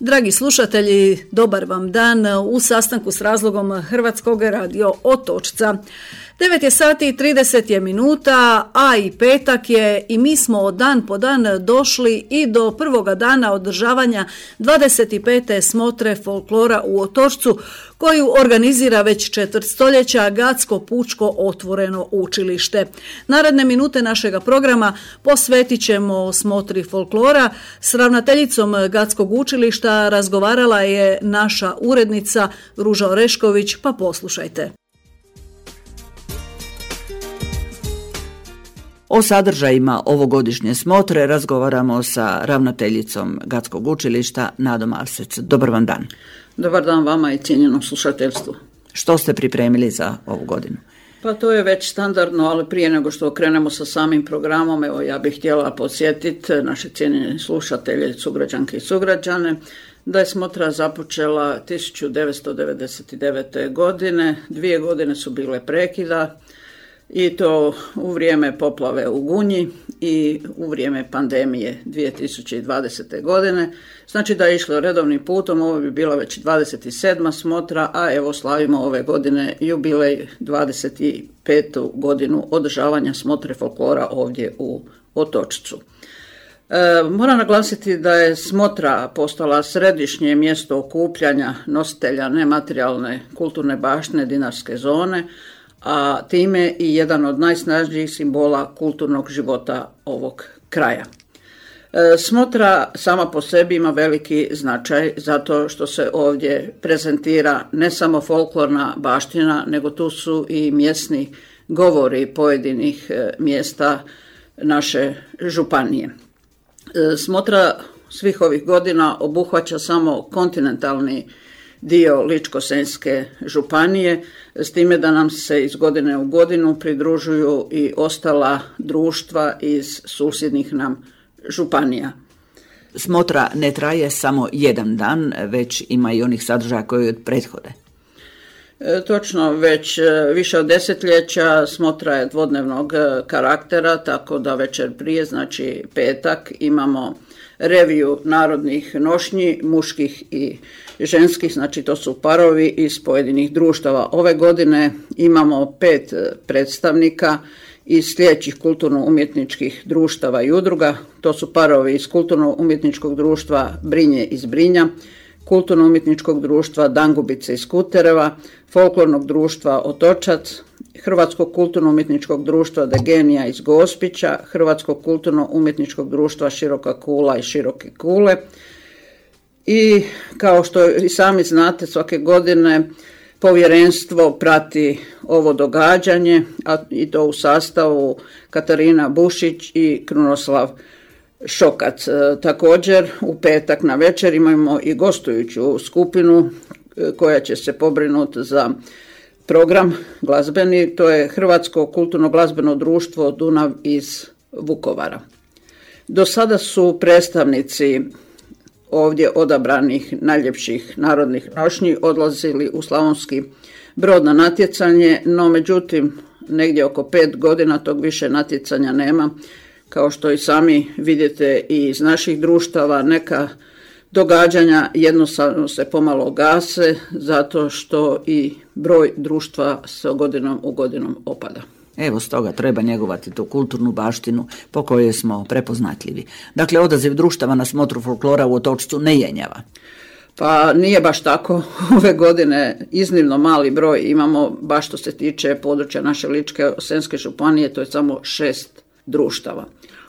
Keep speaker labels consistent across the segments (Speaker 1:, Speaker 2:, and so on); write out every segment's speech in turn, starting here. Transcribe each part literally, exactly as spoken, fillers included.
Speaker 1: Dragi slušatelji, dobar vam dan u sastanku s razlogom Hrvatskog radio Otočca. devet je sati i trideset je minuta, a i petak je i mi smo dan po dan došli i do prvoga dana održavanja dvadeset pete smotre folklora u Otočcu, koju organizira već četvrt stoljeća Gatsko pučko otvoreno učilište. Naredne minute našega programa posvetit ćemo smotri folklora. S ravnateljicom Gatskog učilišta razgovarala je naša urednica Ruža Orešković, pa poslušajte.
Speaker 2: O sadržajima ovogodišnje smotre razgovaramo sa ravnateljicom Gatskog učilišta Nadom Arsec. Dobar vam dan.
Speaker 3: Dobar dan vama i cijenjenom slušateljstvu.
Speaker 2: Što ste pripremili za ovu godinu?
Speaker 3: Pa to je već standardno, ali prije nego što krenemo sa samim programom, evo ja bih htjela podsjetiti naše cijenjene slušatelje, sugrađanke i sugrađane, da je smotra započela tisuću devetsto devedeset devete. godine, dvije godine su bile prekida, i to u vrijeme poplave u Gunji i u vrijeme pandemije dvije tisuće dvadesete. godine. Znači da je išlo redovnim putom, ovo bi bila već dvadeset sedma smotra, a evo slavimo ove godine jubilej dvadeset petu godinu održavanja smotre folklora ovdje u Otočcu. E, moram naglasiti da je smotra postala središnje mjesto okupljanja nositelja nematerijalne kulturne baštine Dinarske zone, a time i jedan od najsnažnijih simbola kulturnog života ovog kraja. E, smotra sama po sebi ima veliki značaj zato što se ovdje prezentira ne samo folklorna baština, nego tu su i mjesni govori pojedinih e, mjesta naše županije. E, smotra svih ovih godina obuhvaća samo kontinentalni dio Ličko-senjske županije, s time da nam se iz godine u godinu pridružuju i ostala društva iz susjednih nam županija.
Speaker 2: Smotra ne traje samo jedan dan, već ima i onih sadržaja koji od prethode.
Speaker 3: E, točno, već više od desetljeća smotra je dvodnevnog karaktera, tako da večer prije, znači petak, imamo reviju narodnih nošnji, muških i ženskih, znači to su parovi iz pojedinih društava. Ove godine imamo pet predstavnika iz sljedećih kulturno-umjetničkih društava i udruga. To su parovi iz kulturno-umjetničkog društva Brinje iz Brinja, kulturno-umjetničkog društva Dangubice iz Kutereva, folklornog društva Otočac, Hrvatskog kulturno-umjetničkog društva Degenija iz Gospića, Hrvatskog kulturno-umjetničkog društva Široka Kula i Široke Kule. I kao što i sami znate, svake godine povjerenstvo prati ovo događanje, a i to u sastavu Katarina Bušić i Krunoslav Šokac. E, također u petak na večer imamo i gostujuću skupinu e, koja će se pobrinuti za program glazbeni, to je Hrvatsko kulturno glazbeno društvo Dunav iz Vukovara. Do sada su predstavnici ovdje odabranih najljepših narodnih nošnji odlazili u Slavonski Brod na natjecanje, no međutim negdje oko pet godina tog više natjecanja nema. Kao što i sami vidite i iz naših društava, neka događanja jednostavno se pomalo gase zato što i broj društva sa godinom u godinom opada.
Speaker 2: Evo, stoga treba njegovati tu kulturnu baštinu po kojoj smo prepoznatljivi. Dakle, odaziv društava na smotru folklora u Otočcu ne jenjava.
Speaker 3: Pa nije baš tako. Ove godine iznimno mali broj imamo, baš što se tiče područja naše Ličko-senjske županije, to je samo šest društava.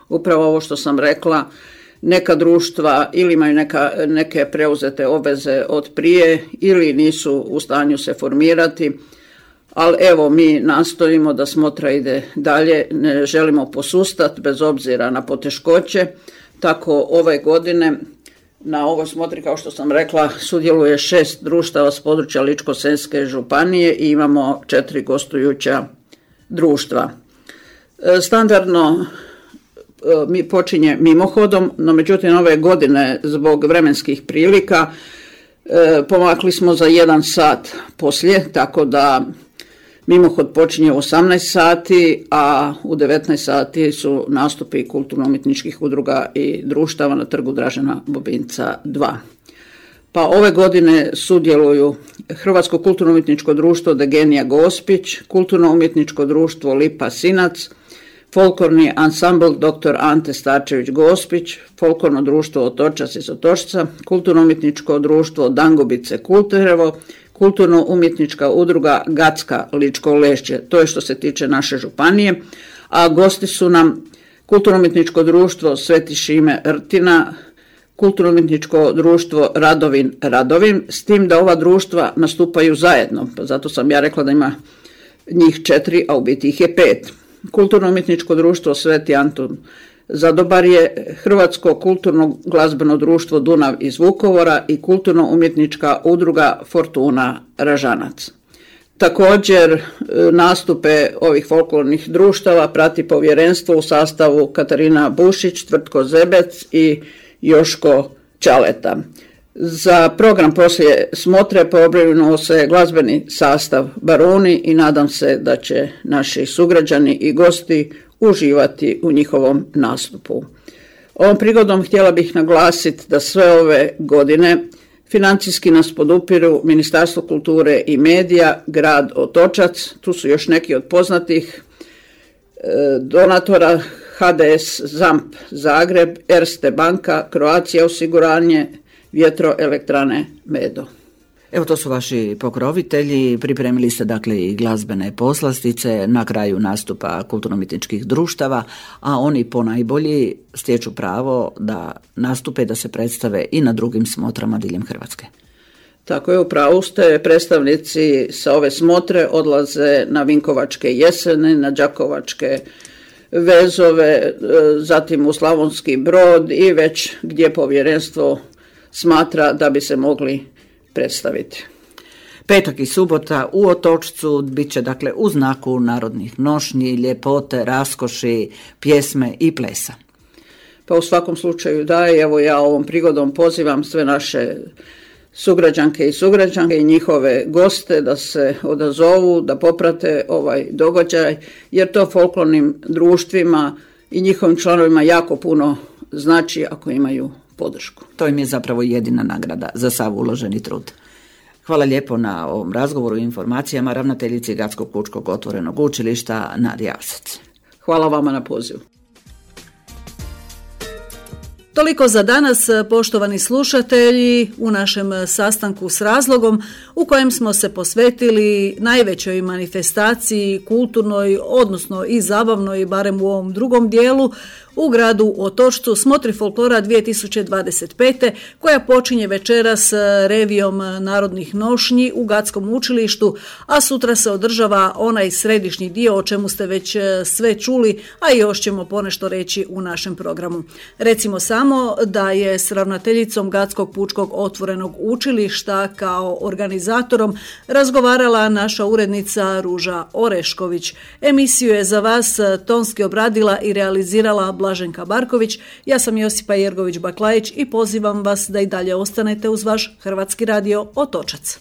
Speaker 3: Upravo ovo što sam rekla, neka društva ili imaju neka, neke preuzete obveze od prije ili nisu u stanju se formirati, ali evo mi nastojimo da smotra ide dalje, ne želimo posustati bez obzira na poteškoće, tako ove godine na ovoj smotri, kao što sam rekla, sudjeluje šest društava s područja Ličko-senjske županije i imamo četiri gostujuća društva. Standardno mi počinje mimohodom, no međutim ove godine zbog vremenskih prilika e, pomakli smo za jedan sat poslije, tako da mimohod počinje u osamnaest sati, a u devetnaest sati su nastupi kulturno-umjetničkih udruga i društava na trgu Dražena Bobinca dva. Pa ove godine sudjeluju Hrvatsko kulturno-umjetničko društvo Degenija Gospić, Kulturno-umjetničko društvo Lipa Sinac, Folklorni ansambl doktor Ante Starčević Gospić, Folklorno društvo Otočac iz Otočca, Kulturno-umjetničko društvo Dangubice Kulterevo, Kulturno-umjetnička udruga Gacka Ličko Lešće. To je što se tiče naše županije, a gosti su nam Kulturno-umjetničko društvo Sveti Šime Rtina, Kulturno-umjetničko društvo Radovin Radovin, s tim da ova društva nastupaju zajedno, pa zato sam ja rekla da ima njih četiri, a u biti ih je pet. Kulturno-umjetničko društvo Sveti Antun Zadobarje, Hrvatsko kulturno glazbeno društvo Dunav iz Vukovara i Kulturno-umjetnička udruga Fortuna Ražanac. Također nastupe ovih folklornih društava prati povjerenstvo u sastavu Katarina Bušić, Tvrtko Zebec i Joško Čaleta. Za program poslije smotre pobrinuo se glazbeni sastav Baruni i nadam se da će naši sugrađani i gosti uživati u njihovom nastupu. Ovom prigodom htjela bih naglasiti da sve ove godine financijski nas podupiru Ministarstvo kulture i medija, grad Otočac, tu su još neki od poznatih donatora, H D S ZAMP Zagreb, Erste banka, Croatia osiguranje, Vjetroelektrane Medo.
Speaker 2: Evo, to su vaši pokrovitelji, pripremili ste dakle i glazbene poslastice na kraju nastupa kulturno-umjetničkih društava, a oni ponajbolji stječu pravo da nastupe, da se predstave i na drugim smotrama diljem Hrvatske.
Speaker 3: Tako je, u pravu ste, predstavnici sa ove smotre odlaze na Vinkovačke jesene, na Đakovačke vezove, zatim u Slavonski Brod i već gdje povjerenstvo smatra da bi se mogli predstaviti.
Speaker 2: Petak i subota u Otočcu bit će dakle u znaku narodnih nošnji, ljepote, raskoši, pjesme i plesa.
Speaker 3: Pa u svakom slučaju da, evo ja ovom prigodom pozivam sve naše sugrađanke i sugrađanke i njihove goste da se odazovu, da poprate ovaj događaj, jer to folklornim društvima i njihovim članovima jako puno znači ako imaju podršku.
Speaker 2: To im je zapravo jedina nagrada za sav uloženi trud. Hvala lijepo na ovom razgovoru i informacijama ravnateljici Gradskog pučkog otvorenog učilišta Nadija Asec.
Speaker 3: Hvala vama na pozivu.
Speaker 1: Toliko za danas, poštovani slušatelji, u našem sastanku s razlogom u kojem smo se posvetili najvećoj manifestaciji kulturnoj, odnosno i zabavnoj, barem u ovom drugom dijelu, u gradu Otočcu, smotri folklora dvije tisuće dvadeset pete koja počinje večeras revijom narodnih nošnji u Gadskom učilištu, a sutra se održava onaj središnji dio o čemu ste već sve čuli, a još ćemo ponešto reći u našem programu. Recimo samo da je s ravnateljicom Gadskog pučkog otvorenog učilišta kao organizatorom razgovarala naša urednica Ruža Orešković. Emisiju je za vas tonski obradila i realizirala Blaženka Barković. Ja sam Josipa Jergović-Baklajić i pozivam vas da i dalje ostanete uz vaš Hrvatski radio Otočac.